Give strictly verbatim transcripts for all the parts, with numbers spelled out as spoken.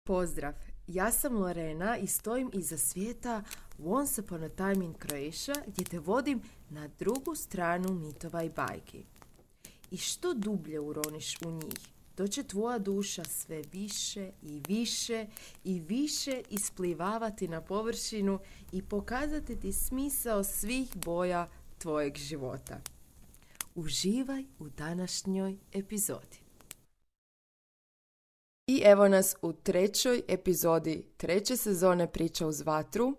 Pozdrav, ja sam Lorena i stojim iza svijeta Once Upon a Time in Croatia gdje te vodim na drugu stranu mitova i bajki. I što dublje uroniš u njih, to će tvoja duša sve više i više i više isplivavati na površinu i pokazati ti smisao svih boja tvojeg života. Uživaj u današnjoj epizodi. I evo nas u trećoj epizodi treće sezone Priča uz vatru.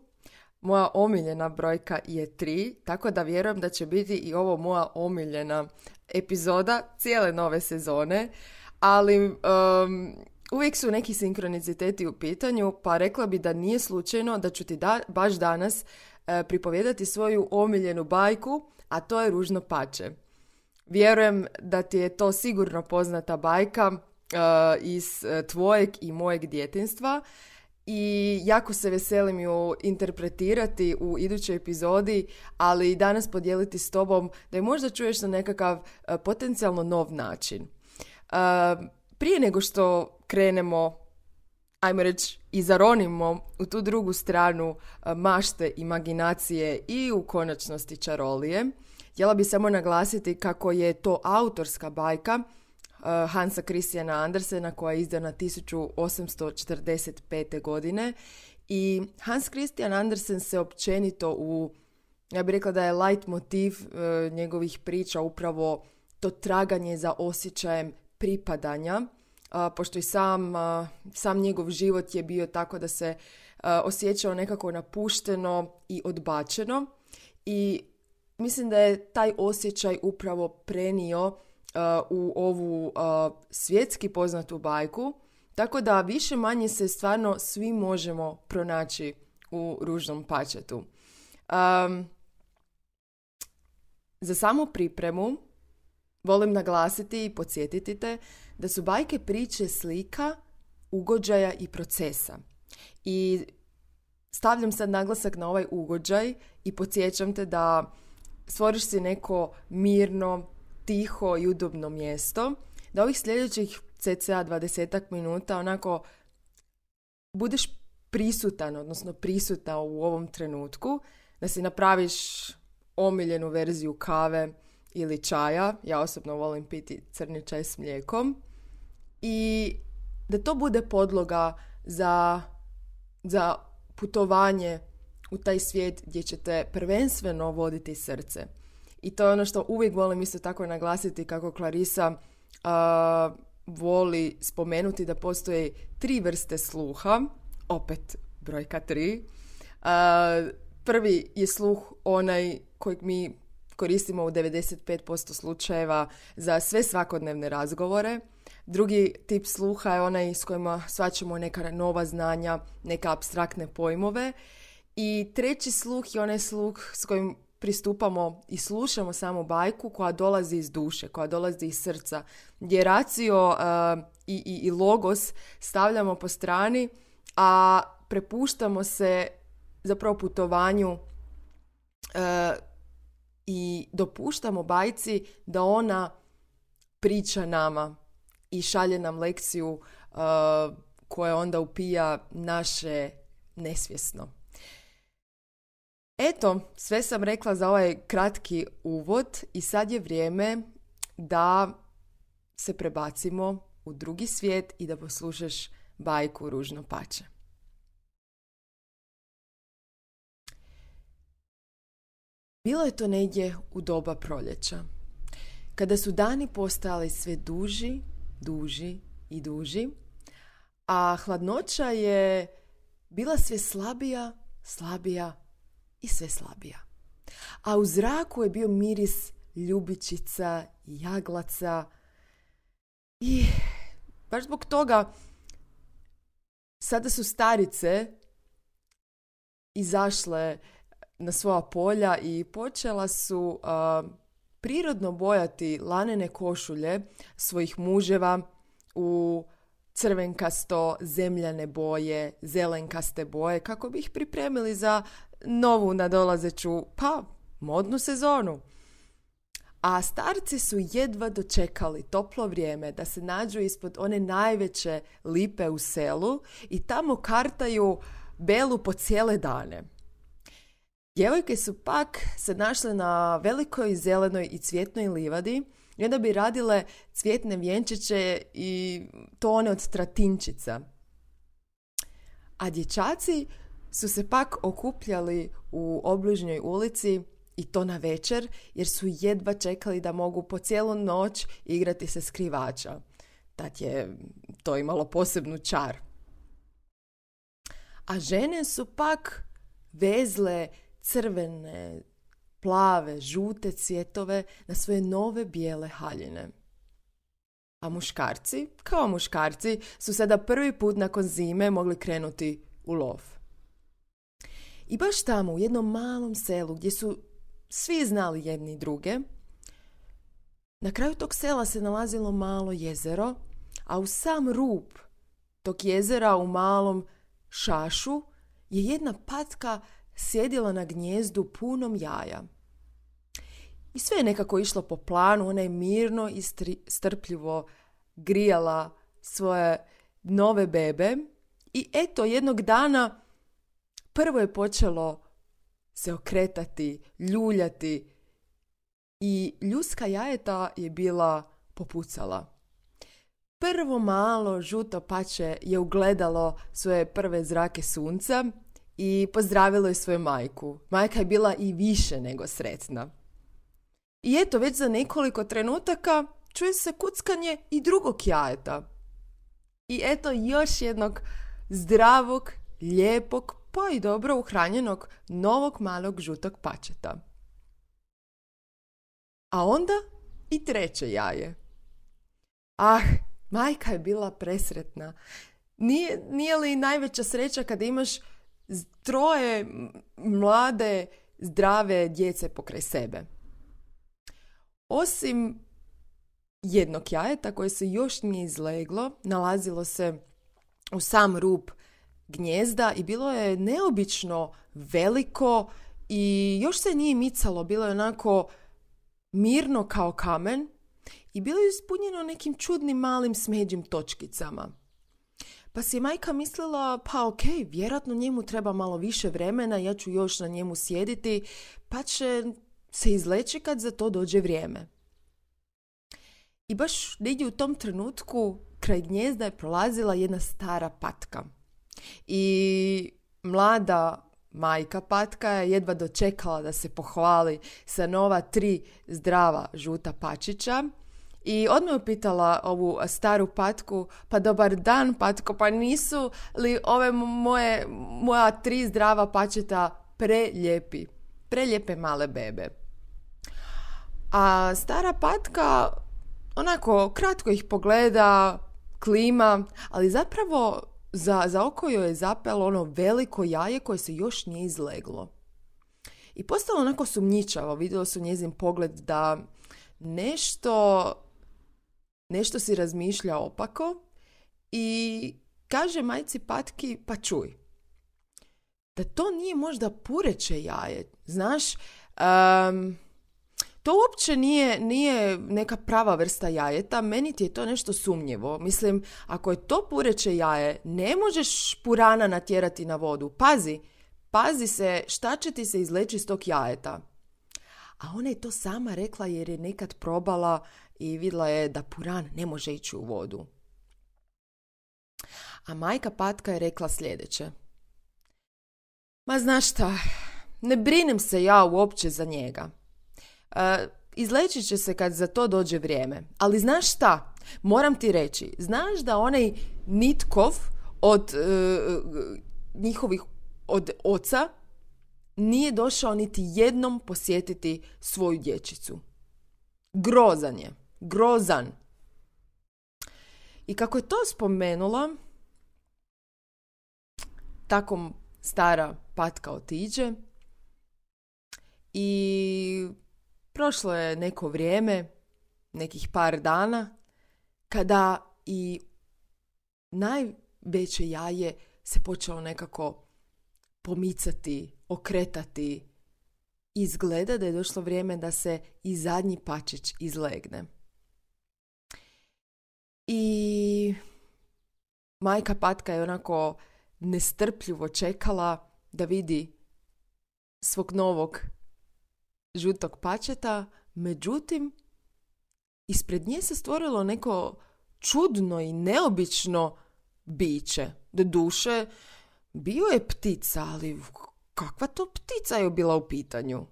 Moja omiljena brojka je tri, tako da vjerujem da će biti i ovo moja omiljena epizoda cijele nove sezone, ali um, uvijek su neki sinkroniciteti u pitanju, pa rekla bi da nije slučajno da ću ti da, baš danas uh, pripovijedati svoju omiljenu bajku, a to je Ružno pače. Vjerujem da ti je to sigurno poznata bajka Uh, iz uh, tvojeg i mojeg djetinjstva i jako se veselim ju interpretirati u idućoj epizodi, ali danas podijeliti s tobom da je možda čuješ na nekakav uh, potencijalno nov način. Uh, prije nego što krenemo, ajmo reći, i zaronimo u tu drugu stranu uh, mašte, imaginacije i u konačnosti čarolije, htjela bi samo naglasiti kako je to autorska bajka Hansa Christiana Andersena koja je izdana tisuću osamsto četrdeset pete. godine i Hans Christian Andersen se općenito u, ja bih rekla da je light motiv e, njegovih priča upravo to traganje za osjećajem pripadanja, a, pošto i sam, a, sam njegov život je bio tako da se a, osjećao nekako napušteno i odbačeno i mislim da je taj osjećaj upravo prenio u ovu uh, svjetski poznatu bajku, tako da više manje se stvarno svi možemo pronaći u Ružnom pačetu. Um, za samu pripremu volim naglasiti i podsjetiti te da su bajke priče slika, ugođaja i procesa. I stavljam sad naglasak na ovaj ugođaj i podsjećam te da stvoriš si neko mirno, tiho i udobno mjesto, da ovih sljedećih cca dvadesetak minuta onako budeš prisutan, odnosno prisutna u ovom trenutku, da si napraviš omiljenu verziju kave ili čaja, ja osobno volim piti crni čaj s mlijekom, i da to bude podloga za, za putovanje u taj svijet gdje će te prvenstveno voditi srce. I to je ono što uvijek volim isto tako naglasiti, kako Clarissa uh, voli spomenuti da postoje tri vrste sluha, opet brojka tri. Uh, prvi je sluh onaj kojeg mi koristimo u devedeset pet posto slučajeva za sve svakodnevne razgovore. Drugi tip sluha je onaj s kojima shvaćamo neka nova znanja, neka apstraktne pojmove. I treći sluh je onaj sluh s kojim pristupamo i slušamo samu bajku koja dolazi iz duše, koja dolazi iz srca, gdje racio uh, i, i, i logos stavljamo po strani, a prepuštamo se zapravo putovanju uh, i dopuštamo bajci da ona priča nama i šalje nam lekciju uh, koja onda upija naše nesvjesno. Eto, sve sam rekla za ovaj kratki uvod i sad je vrijeme da se prebacimo u drugi svijet i da poslušaš bajku Ružno pače. Bilo je to negdje u doba proljeća, kada su dani postali sve duži, duži i duži, a hladnoća je bila sve slabija, slabija i sve slabija. A u zraku je bio miris ljubičica i jaglaca i baš zbog toga sada su starice izašle na svoja polja i počela su uh, prirodno bojati lanene košulje svojih muževa u crvenkasto, zemljane boje, zelenkaste boje, kako bi ih pripremili za novu nadolazeću, pa, modnu sezonu. A starci su jedva dočekali toplo vrijeme da se nađu ispod one najveće lipe u selu i tamo kartaju Belu po cijele dane. Djevojke su pak se našle na velikoj zelenoj i cvjetnoj livadi i onda bi radile cvjetne vjenčiće i to one od tratinčica. A dječaci su se pak okupljali u obližnjoj ulici i to na večer, jer su jedva čekali da mogu po cijelu noć igrati se skrivača. Tad je to imalo posebnu čar. A žene su pak vezle crvene, plave, žute cvjetove na svoje nove bijele haljine. A muškarci, kao muškarci, su sada prvi put nakon zime mogli krenuti u lov. I baš tamo, u jednom malom selu, gdje su svi znali jedni druge, na kraju tog sela se nalazilo malo jezero, a u sam rub tog jezera u malom šašu je jedna patka sjedila na gnijezdu punom jaja. I sve je nekako išlo po planu, ona je mirno i stri, strpljivo grijala svoje nove bebe i eto jednog dana prvo je počelo se okretati, ljuljati i ljudska jajeta je bila popucala. Prvo malo žuto pače je ugledalo svoje prve zrake sunca i pozdravilo je svoju majku. Majka je bila i više nego sretna. I eto, već za nekoliko trenutaka čuje se kuckanje i drugog jajeta. I eto još jednog zdravog, lijepog, pa i dobro uhranjenog novog malog žutog pačeta. A onda i treće jaje. Ah, majka je bila presretna. Nije, nije li najveća sreća kada imaš troje mlade, zdrave djece pokraj sebe? Osim jednog jajeta koje se još nije izleglo, nalazilo se u sam rub gnijezda i bilo je neobično veliko i još se nije micalo, bilo je onako mirno kao kamen i bilo je ispunjeno nekim čudnim malim smeđim točkicama. Pa si je majka mislila, pa ok, vjerojatno njemu treba malo više vremena, ja ću još na njemu sjediti, pa će se izleći kad za to dođe vrijeme. I baš negdje u tom trenutku kraj gnijezda je prolazila jedna stara patka. I mlada majka patka je jedva dočekala da se pohvali sa nova tri zdrava žuta pačića i odmah je pitala ovu staru patku, pa dobar dan patko, pa nisu li ove moje, moja tri zdrava pačeta prelijepi, prelijepe male bebe? A stara patka onako kratko ih pogleda, klima, ali zapravo za, za oko joj je zapelo ono veliko jaje koje se još nije izleglo. I postalo onako sumnjičavo, vidjelo su njezin pogled da nešto, nešto si razmišlja opako i kaže majci patki, pa čuj, da to nije možda pureće jaje, znaš, um, to uopće nije, nije neka prava vrsta jajeta, meni ti je to nešto sumnjivo. Mislim, ako je to pureće jaje, ne možeš purana natjerati na vodu. Pazi, pazi se šta će ti se izleći iz tog jajeta. A ona je to sama rekla jer je nekad probala i vidjela je da puran ne može ići u vodu. A majka patka je rekla sljedeće. Ma znaš šta, ne brinem se ja uopće za njega. Uh, izleći će se kad za to dođe vrijeme. Ali znaš šta? Moram ti reći. Znaš da onaj Nitkov od uh, njihovih od oca nije došao niti jednom posjetiti svoju dječicu. Grozan je. Grozan. I kako je to spomenula, tako stara patka otiđe i prošlo je neko vrijeme, nekih par dana, kada i najveće jaje se počelo nekako pomicati, okretati izgleda da je došlo vrijeme da se i zadnji pačić izlegne. I majka Patka je onako nestrpljivo čekala da vidi svog novog žutog pačeta, međutim, ispred nje se stvorilo neko čudno i neobično biće. Doduše, bio je ptica, ali kakva to ptica je bila u pitanju?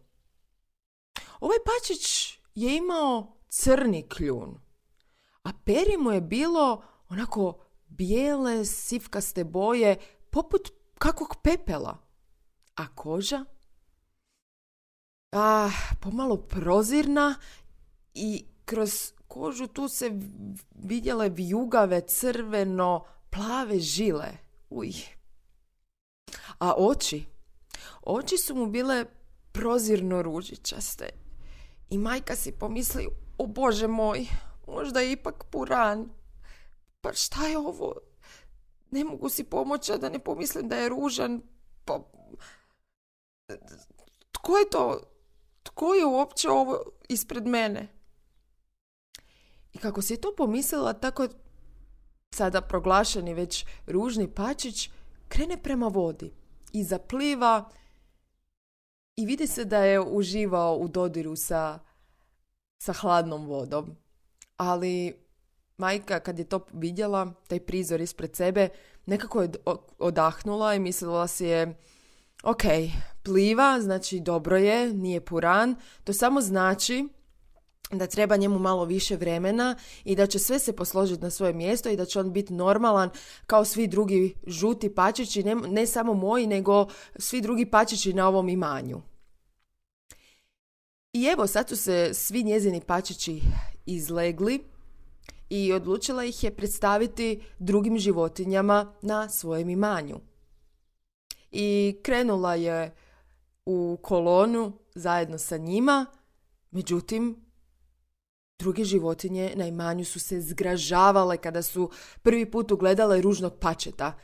Ovaj pačić je imao crni kljun, a peri mu je bilo onako bijele, sivkaste boje, poput kakvog pepela. A koža? Ah, pomalo prozirna i kroz kožu tu se vidjele vijugave crveno plave žile. Uj. A oči? Oči su mu bile prozirno ružičaste. I majka si pomisli, o Bože moj, možda je ipak puran. Pa šta je ovo? Ne mogu si pomoći da ne pomislim da je ružan. Pa... Tko je to? Tko je uopće ovo ispred mene? I kako si to pomislila, tako sada proglašeni već ružni pačić krene prema vodi i zapliva i vidi se da je uživao u dodiru sa, sa hladnom vodom. Ali majka, kad je to vidjela, taj prizor ispred sebe, nekako je odahnula i mislila si je, ok, pliva, znači dobro je, nije puran, to samo znači da treba njemu malo više vremena i da će sve se posložiti na svoje mjesto i da će on biti normalan kao svi drugi žuti pačići, ne, ne samo moji, nego svi drugi pačići na ovom imanju. I evo, sad su se svi njezini pačići izlegli i odlučila ih je predstaviti drugim životinjama na svojem imanju. I krenula je u kolonu zajedno sa njima, međutim, druge životinje na imanju su se zgražavale kada su prvi put ugledale ružnog pačeta.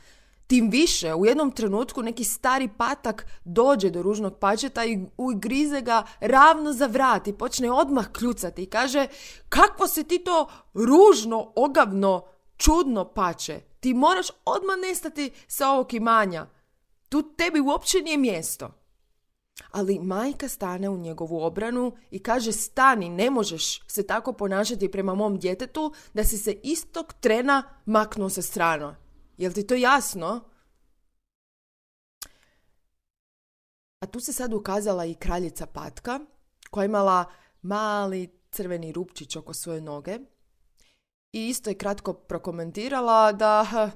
Tim više, u jednom trenutku neki stari patak dođe do ružnog pačeta i ugrize ga ravno za vrat i počne odmah kljucati i kaže, kakvo si ti to ružno, ogavno, čudno pače. Ti moraš odmah nestati sa ovog imanja. Tu tebi uopće nije mjesto. Ali majka stane u njegovu obranu i kaže, stani, ne možeš se tako ponašati prema mom djetetu da si se istog trena maknuo sa strane. Jel ti to jasno? A tu se sad ukazala i kraljica Patka, koja je imala mali crveni rupčić oko svoje noge i isto je kratko prokomentirala da,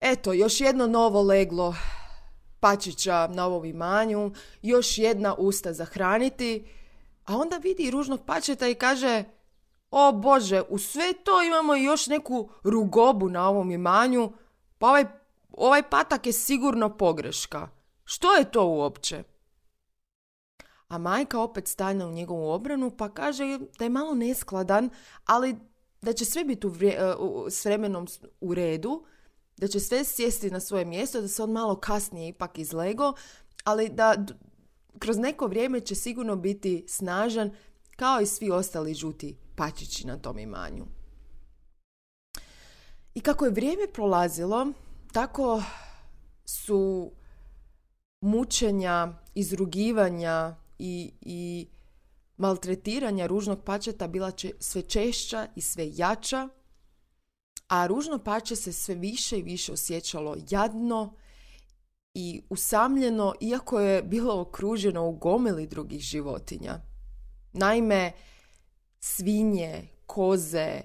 eto, još jedno novo leglo pačića na ovom imanju, još jedna usta za hraniti, a onda vidi ružnog pačeta i kaže, o Bože, u sve to imamo još neku rugobu na ovom imanju, pa ovaj, ovaj patak je sigurno pogreška. Što je to uopće? A majka opet stane u njegovu obranu pa kaže da je malo neskladan, ali da će sve biti u vre, u, s vremenom u redu, da će sve sjesti na svoje mjesto, da se on malo kasnije ipak izlego, ali da d- kroz neko vrijeme će sigurno biti snažan kao i svi ostali žuti pačići na tom imanju. I kako je vrijeme prolazilo, tako su mučenja, izrugivanja i, i maltretiranja ružnog pačeta bila će sve češća i sve jača, a ružno pače se sve više i više osjećalo jadno i usamljeno, iako je bilo okruženo u gomili drugih životinja. Naime, svinje, koze,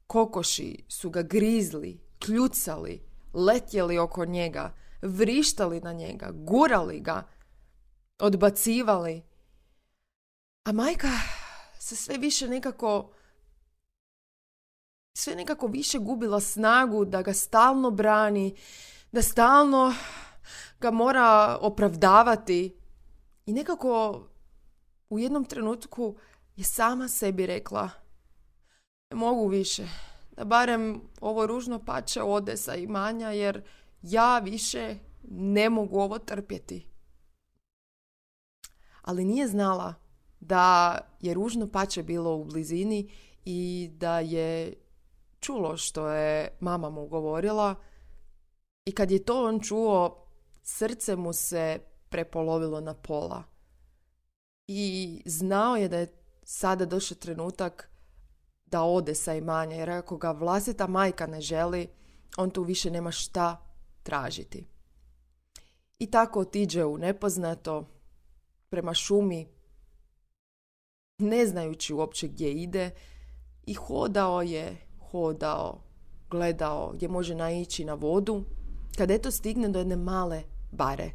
kokoši su ga grizli, kljucali, letjeli oko njega, vrištali na njega, gurali ga, odbacivali. A majka se sve više nekako, sve nekako više gubila snagu da ga stalno brani, da stalno ga mora opravdavati. I nekako u jednom trenutku je sama sebi rekla, ne mogu više, da barem ovo ružno pače ode sa imanja, jer ja više ne mogu ovo trpjeti. ali nije znala da je ružno pače bilo u blizini i da je čulo što je mama mu govorila. I kad je to on čuo, srce mu se prepolovilo na pola. I znao je da je sada došao trenutak da ode sa imanja, jer ako ga vlastita majka ne želi, on tu više nema šta tražiti. I tako otiđe u nepoznato, prema šumi, ne znajući uopće gdje ide, i hodao je, hodao, gledao gdje može naići na vodu, kad eto stigne do jedne male bare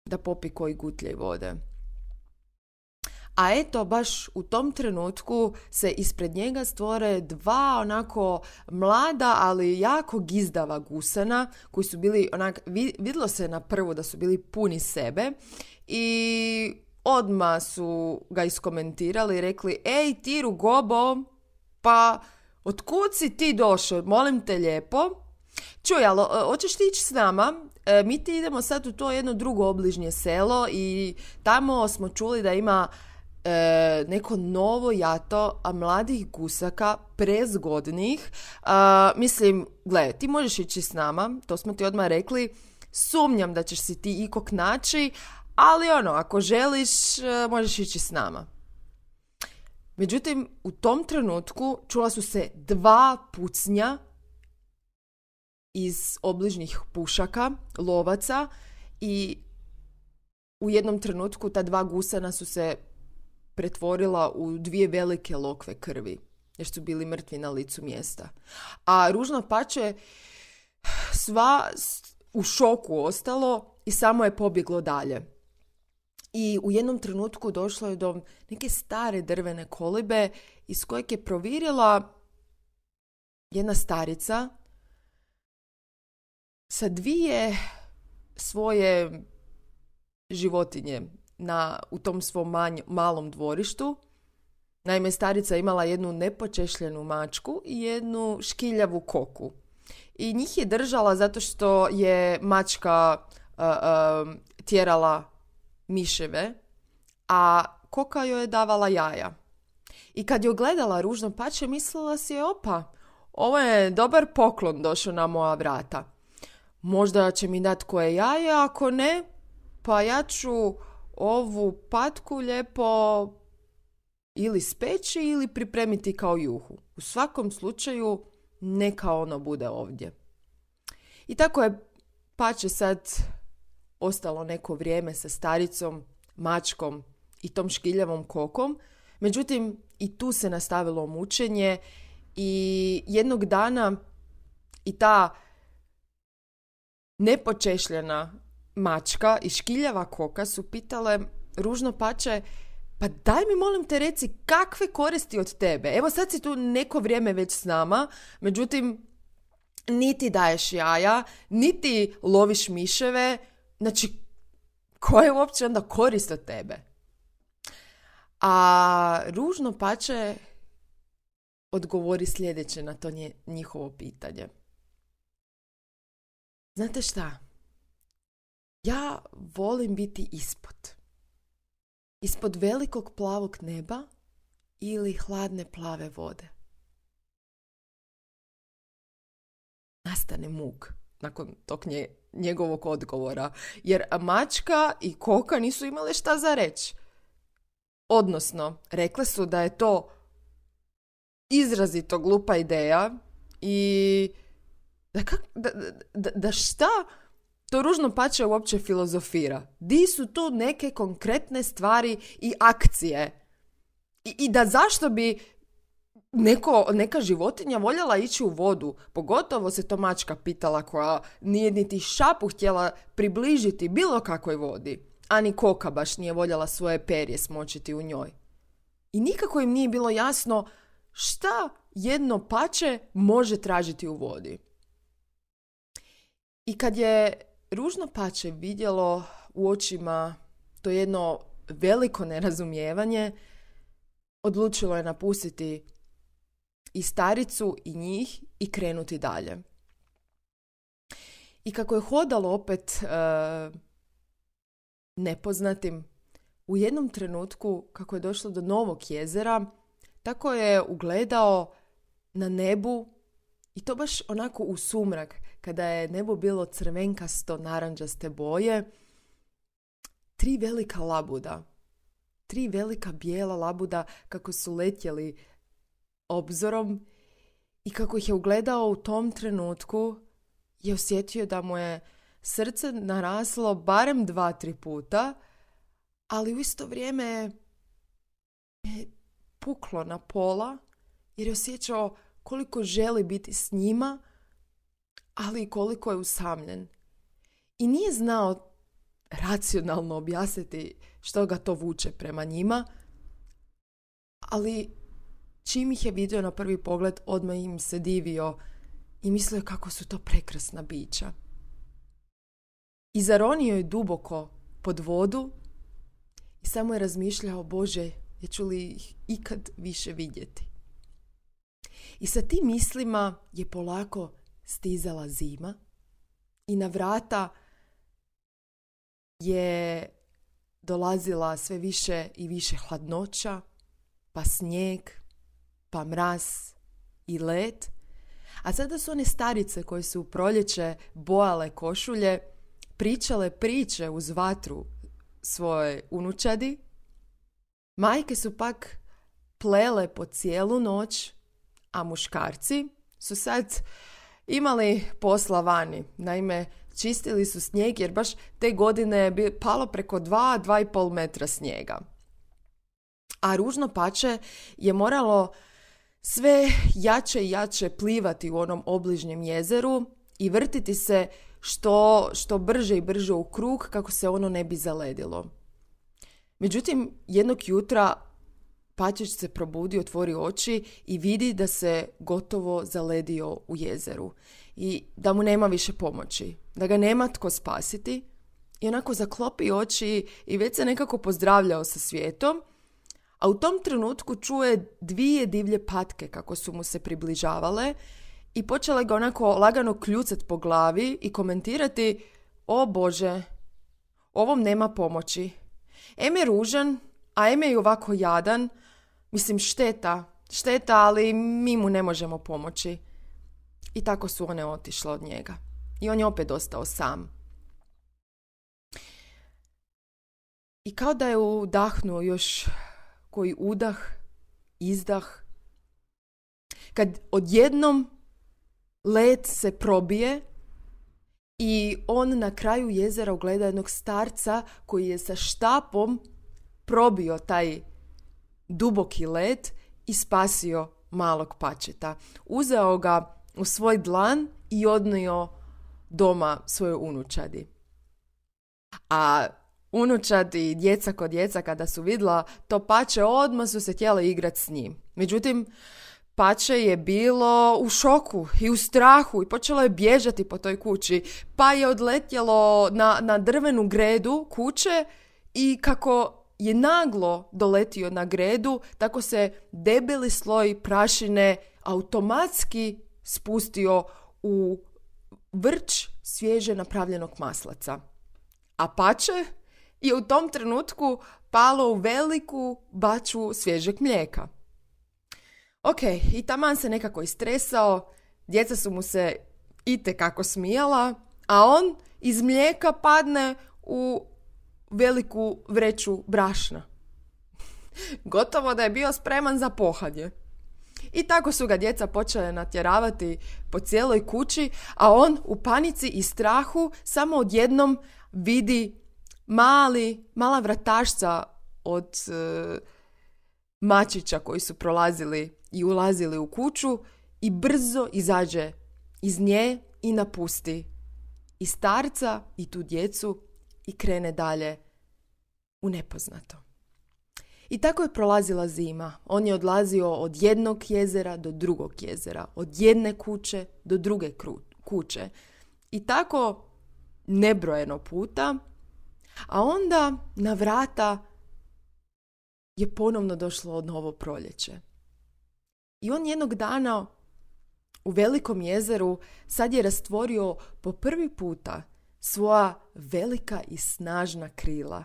da popi koji gutljaj vode. A eto, baš u tom trenutku se ispred njega stvore dva onako mlada, ali jako gizdava gusana, koji su bili onak, vidjelo se na prvu da su bili puni sebe i odmah su ga iskomentirali i rekli: ej ti Rugobo, pa otkud si ti došao, molim te lijepo. Čuj, ali hoćeš ti ići s nama? E, mi ti idemo sad u to jedno drugo obližnje selo i tamo smo čuli da ima e, neko novo jato a mladih gusaka, prezgodnih. E, mislim, gle, ti možeš ići s nama, to smo ti odmah rekli. Sumnjam da ćeš si ti ikog naći, ali ono, ako želiš, e, možeš ići s nama. Međutim, u tom trenutku čula su se dva pucnja iz obližnjih pušaka, lovaca, i u jednom trenutku ta dva gusana su se pretvorila u dvije velike lokve krvi, jer su bili mrtvi na licu mjesta. A ružno pače sva u šoku ostalo i samo je pobjeglo dalje. I u jednom trenutku došlo je do neke stare drvene kolibe iz kojeg je provirila jedna starica sa dvije svoje životinje na, u tom svom manj, malom dvorištu. Naime, starica je imala jednu nepočešljenu mačku i jednu škiljavu koku. I njih je držala zato što je mačka uh, uh, tjerala miševe, a koka joj je davala jaja. I kad je gledala ružno pače, mislila si je: opa, ovo je dobar poklon došao na moja vrata. Možda će mi dati koje jaje, ako ne, pa ja ću ovu patku lijepo ili speći ili pripremiti kao juhu. U svakom slučaju, neka ono bude ovdje. I tako je pače sad ostalo neko vrijeme sa staricom, mačkom i tom škiljavom kokom. Međutim, i tu se nastavilo mučenje i jednog dana i ta nepočešljena mačka i škiljava koka su pitale ružno pače: pa daj mi molim te reci, kakve koristi od tebe? Evo sad si tu neko vrijeme već s nama, međutim niti daješ jaja, niti loviš miševe, znači koja je uopće onda korist od tebe? A ružno pače odgovori sljedeće na to nje, njihovo pitanje. Znate šta? Ja volim biti ispod. Ispod velikog plavog neba ili hladne plave vode. Nastane muk nakon tog nje, njegovog odgovora, jer mačka i koka nisu imale šta za reći. Odnosno, rekle su da je to izrazito glupa ideja i da, kak, da, da, da šta to ružno pače uopće filozofira. Di su tu neke konkretne stvari i akcije? I, i da zašto bi neko, neka životinja voljela ići u vodu? Pogotovo se to mačka pitala, koja nije niti šapu htjela približiti bilo kakvoj vodi. Ani koka baš nije voljela svoje perje smočiti u njoj. I nikako im nije bilo jasno šta jedno pače može tražiti u vodi. I kad je ružno pače vidjelo u očima to jedno veliko nerazumijevanje, odlučilo je napustiti i staricu i njih i krenuti dalje. I kako je hodalo opet e, nepoznatim, u jednom trenutku, kako je došlo do novog jezera, tako je ugledao na nebu, i to baš onako u sumrak, kada je nebo bilo crvenkasto naranđaste boje, tri velika labuda. Tri velika bijela labuda kako su letjeli obzorom, i kako ih je ugledao u tom trenutku je osjetio da mu je srce naraslo barem dva, tri puta, ali u isto vrijeme je puklo na pola jer je osjećao koliko želi biti s njima, ali i koliko je usamljen. I nije znao racionalno objasniti što ga to vuče prema njima, ali čim ih je vidio na prvi pogled, odmah im se divio i mislio kako su to prekrasna bića. I zaronio je duboko pod vodu i samo je razmišljao, Bože, jeću li ih ikad više vidjeti. I sa tim mislima je polako stizala zima i na vrata je dolazila sve više i više hladnoća, pa snijeg, pa mraz i led. A sada su one starice koje su u proljeće bojale košulje pričale priče uz vatru svoje unučadi. Majke su pak plele po cijelu noć, a muškarci su sad imali posla vani. Naime, čistili su snijeg jer baš te godine je palo preko dva, dva i pol metra snijega. A ružno pače je moralo sve jače i jače plivati u onom obližnjem jezeru i vrtiti se što, što brže i brže u krug kako se ono ne bi zaledilo. Međutim, jednog jutra Pačić se probudi, otvori oči i vidi da se gotovo zaledio u jezeru i da mu nema više pomoći, da ga nema tko spasiti, i onako zaklopi oči i već se nekako pozdravljao sa svijetom, a u tom trenutku čuje dvije divlje patke kako su mu se približavale i počele ga onako lagano kljucat po glavi i komentirati: o Bože, ovom nema pomoći. Em je ružan, a em je i ovako jadan. Mislim, šteta, šteta, ali mi mu ne možemo pomoći. I tako su one otišle od njega. I on je opet ostao sam. I kao da je udahnuo još koji udah, izdah, kad odjednom led se probije i on na kraju jezera ugleda jednog starca koji je sa štapom probio taj duboki led i spasio malog Pačeta. Uzeo ga u svoj dlan i odnio doma svojoj unučadi. A unučadi i djeca kod djeca kada su vidjela to Pače, odmah su se htjeli igrati s njim. Međutim, Pače je bilo u šoku i u strahu i počelo je bježati po toj kući, pa je odletjelo na, na drvenu gredu kuće i kako je naglo doletio na gredu, tako se debeli sloj prašine automatski spustio u vrč svježe napravljenog maslaca. A Pače je u tom trenutku palo u veliku baču svježeg mlijeka. Ok, i taman se nekako istresao, djeca su mu se itekako smijala, a on iz mlijeka padne u veliku vreću brašna. Gotovo da je bio spreman za pohadje. I tako su ga djeca počele natjeravati po cijeloj kući, a on u panici i strahu samo odjednom vidi mali, mala vratašca od e, mačića koji su prolazili i ulazili u kuću i brzo izađe iz nje i napusti i starca i tu djecu i krene dalje u nepoznato. I tako je prolazila zima. On je odlazio od jednog jezera do drugog jezera, od jedne kuće do druge kuće. I tako nebrojeno puta, a onda na vrata je ponovno došlo novo proljeće. I on jednog dana u velikom jezeru sad je rastvorio po prvi puta svoja velika i snažna krila.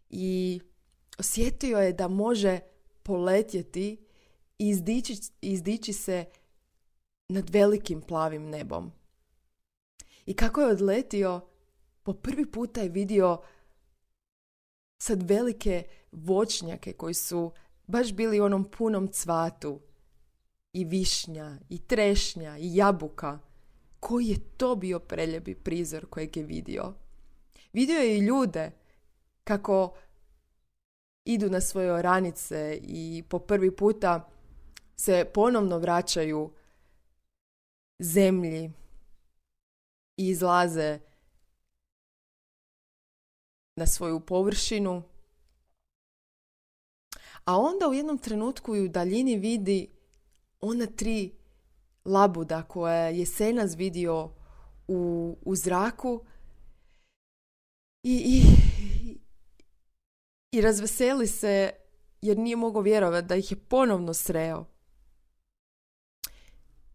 I osjetio je da može poletjeti i izdići, izdići se nad velikim plavim nebom. I kako je odletio, po prvi puta je vidio sad velike voćnjake koji su baš bili u onom punom cvatu. I višnja, i trešnja, i jabuka. Koji je to bio preljepi prizor kojeg je vidio. Vidio je i ljude kako idu na svoje oranice i po prvi puta se ponovno vraćaju zemlji i izlaze na svoju površinu. A onda u jednom trenutku i u daljini vidi ona tri labuda koje je jesenas vidio u, u zraku i, i, i razveseli se jer nije mogao vjerovati da ih je ponovno sreo.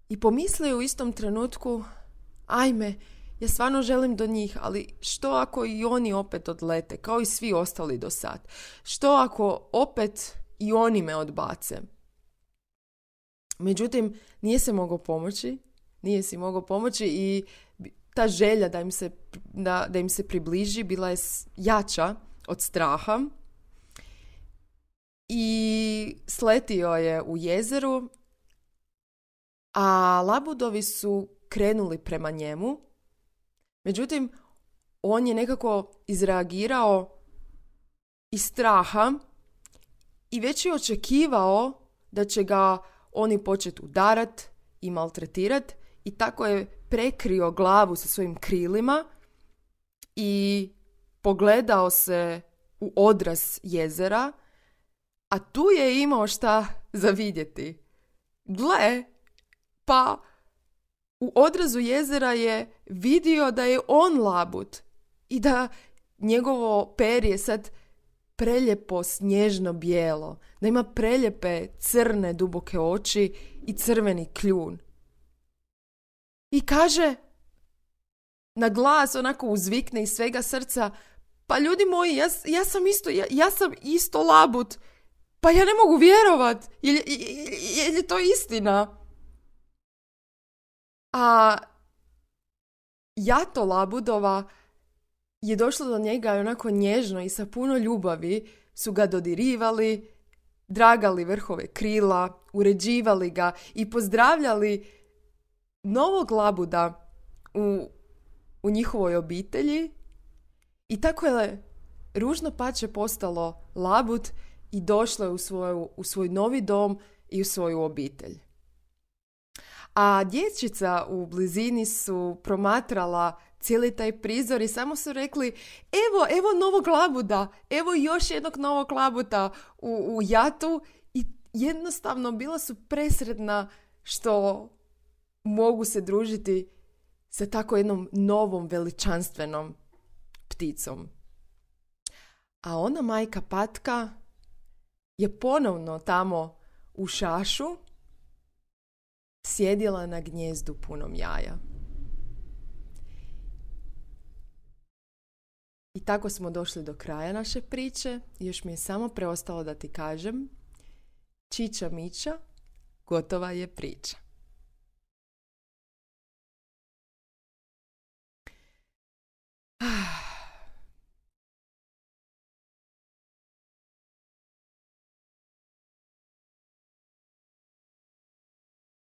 I pomislio u istom trenutku, ajme, ja stvarno želim do njih, ali što ako i oni opet odlete, kao i svi ostali do sad? Što ako opet i oni me odbace? Međutim, nije se mogao pomoći, nije si mogao pomoći i ta želja da im se, da, da im se približi bila je jača od straha. I sletio je u jezeru, a labudovi su krenuli prema njemu. Međutim, on je nekako izreagirao iz straha i već je očekivao da će ga oni početi udarat i maltretirat i tako je prekrio glavu sa svojim krilima i pogledao se u odraz jezera, a tu je imao šta za vidjeti. Gle, pa u odrazu jezera je vidio da je on labud i da njegovo perje sad preljepo snježno bijelo, da ima preljepe crne duboke oči i crveni kljun. I kaže na glas, onako uzvikne iz svega srca, pa ljudi moji, ja, ja sam isto, ja, ja sam isto labud, pa ja ne mogu vjerovat, je, je, je, je to istina? A jato labudova je došlo do njega onako nježno i sa puno ljubavi su ga dodirivali, dragali vrhove krila, uređivali ga i pozdravljali novog labuda u, u njihovoj obitelji. I tako je ružno pače postalo labud i došlo je u, svoju, u svoj novi dom i u svoju obitelj. A dječjica u blizini su promatrala cijeli taj prizor i samo su rekli, evo, evo novog labuda, evo još jednog novog labuda u, u jatu i jednostavno bila su presretna što mogu se družiti sa tako jednom novom veličanstvenom pticom. A ona majka patka je ponovno tamo u šašu sjedila na gnijezdu punom jaja. I tako smo došli do kraja naše priče. Još mi je samo preostalo da ti kažem, čiča miča, gotova je priča.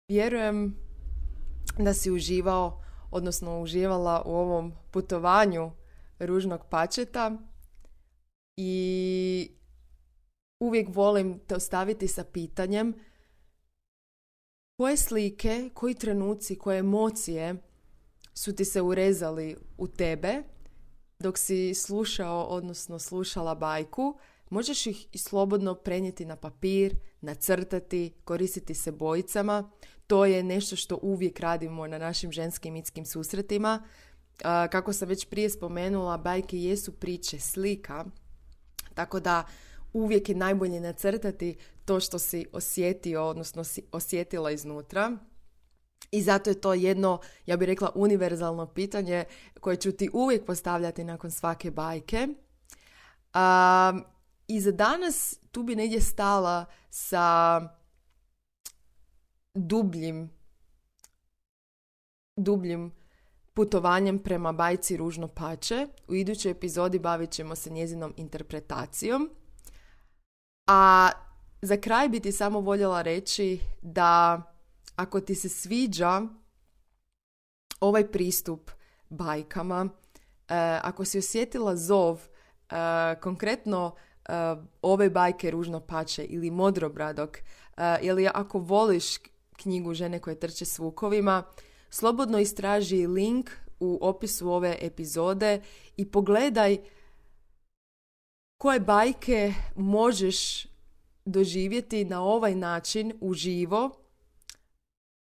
Vjerujem da si uživao, odnosno uživala u ovom putovanju ružnog pačeta i uvijek volim te ostaviti sa pitanjem koje slike, koji trenuci, koje emocije su ti se urezali u tebe dok si slušao, odnosno slušala bajku. Možeš ih i slobodno prenijeti na papir, nacrtati, koristiti se bojicama. To je nešto što uvijek radimo na našim ženskim mitskim susretima. Kako sam već prije spomenula, bajke jesu priče slika, tako da uvijek je najbolje nacrtati to što si osjetio, odnosno si osjetila iznutra. I zato je to jedno, ja bih rekla, univerzalno pitanje koje ću ti uvijek postavljati nakon svake bajke. Um, I za danas tu bi negdje stala sa dubljim, dubljim putovanjem prema bajci Ružno pače. U idućoj epizodi bavit ćemo se njezinom interpretacijom. A za kraj bi ti samo voljela reći da ako ti se sviđa ovaj pristup bajkama, eh, ako si osjetila zov, eh, konkretno eh, ove bajke Ružno pače ili Modrobradog, eh, ili ako voliš knjigu Žene koje trče s vukovima, slobodno istraži link u opisu ove epizode i pogledaj koje bajke možeš doživjeti na ovaj način uživo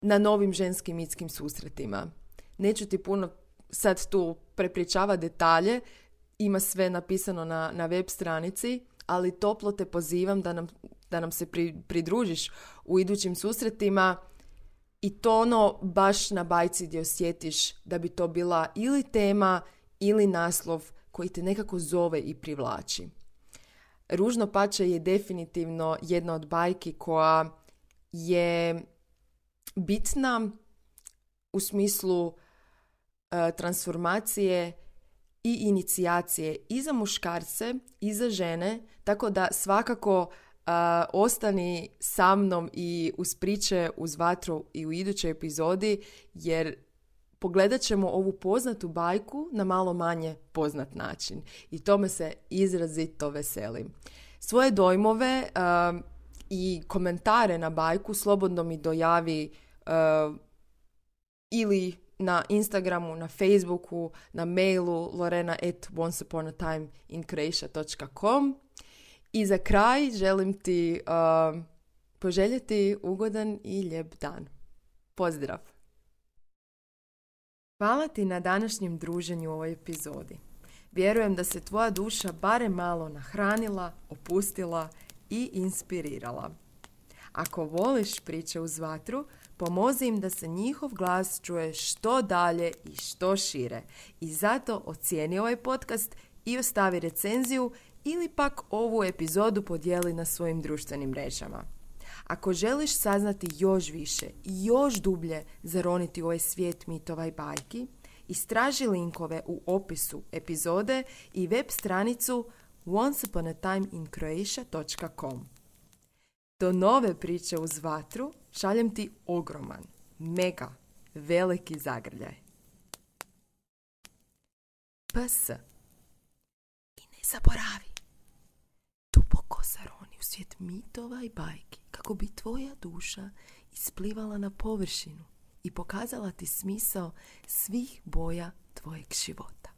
na novim ženskim mitskim susretima. Neću ti puno sad tu prepričavati detalje, ima sve napisano na, na web stranici, ali toplo te pozivam da nam, da nam se pri, pridružiš u idućim susretima i to ono baš na bajci gdje osjetiš da bi to bila ili tema ili naslov koji te nekako zove i privlači. Ružno pače je definitivno jedna od bajki koja je bitna u smislu e, transformacije i inicijacije i za muškarce i za žene, tako da svakako e, ostani sa mnom i uz priče uz vatru i u idućoj epizodi, jer pogledat ćemo ovu poznatu bajku na malo manje poznat način i tome se izrazito veselim. Svoje dojmove uh, i komentare na bajku slobodno mi dojavi uh, ili na Instagramu, na Facebooku, na mailu lorena at onceuponatime.in dot com. I za kraj želim ti uh, poželjeti ugodan i lijep dan. Pozdrav! Hvala ti na današnjem druženju u ovoj epizodi. Vjerujem da se tvoja duša barem malo nahranila, opustila i inspirirala. Ako voliš priče uz vatru, pomozi im da se njihov glas čuje što dalje i što šire. I zato ocijeni ovaj podcast i ostavi recenziju ili pak ovu epizodu podijeli na svojim društvenim mrežama. Ako želiš saznati još više i još dublje zaroniti u ovaj svijet mitova i bajki, istraži linkove u opisu epizode i web stranicu onceuponatime.in dot com. Do nove priče uz vatru šaljem ti ogroman, mega, veliki zagrljaj. P S. I ne zaboravi, duboko zaroni u svijet mitova i bajki kako bi tvoja duša isplivala na površinu i pokazala ti smisao svih boja tvojeg života.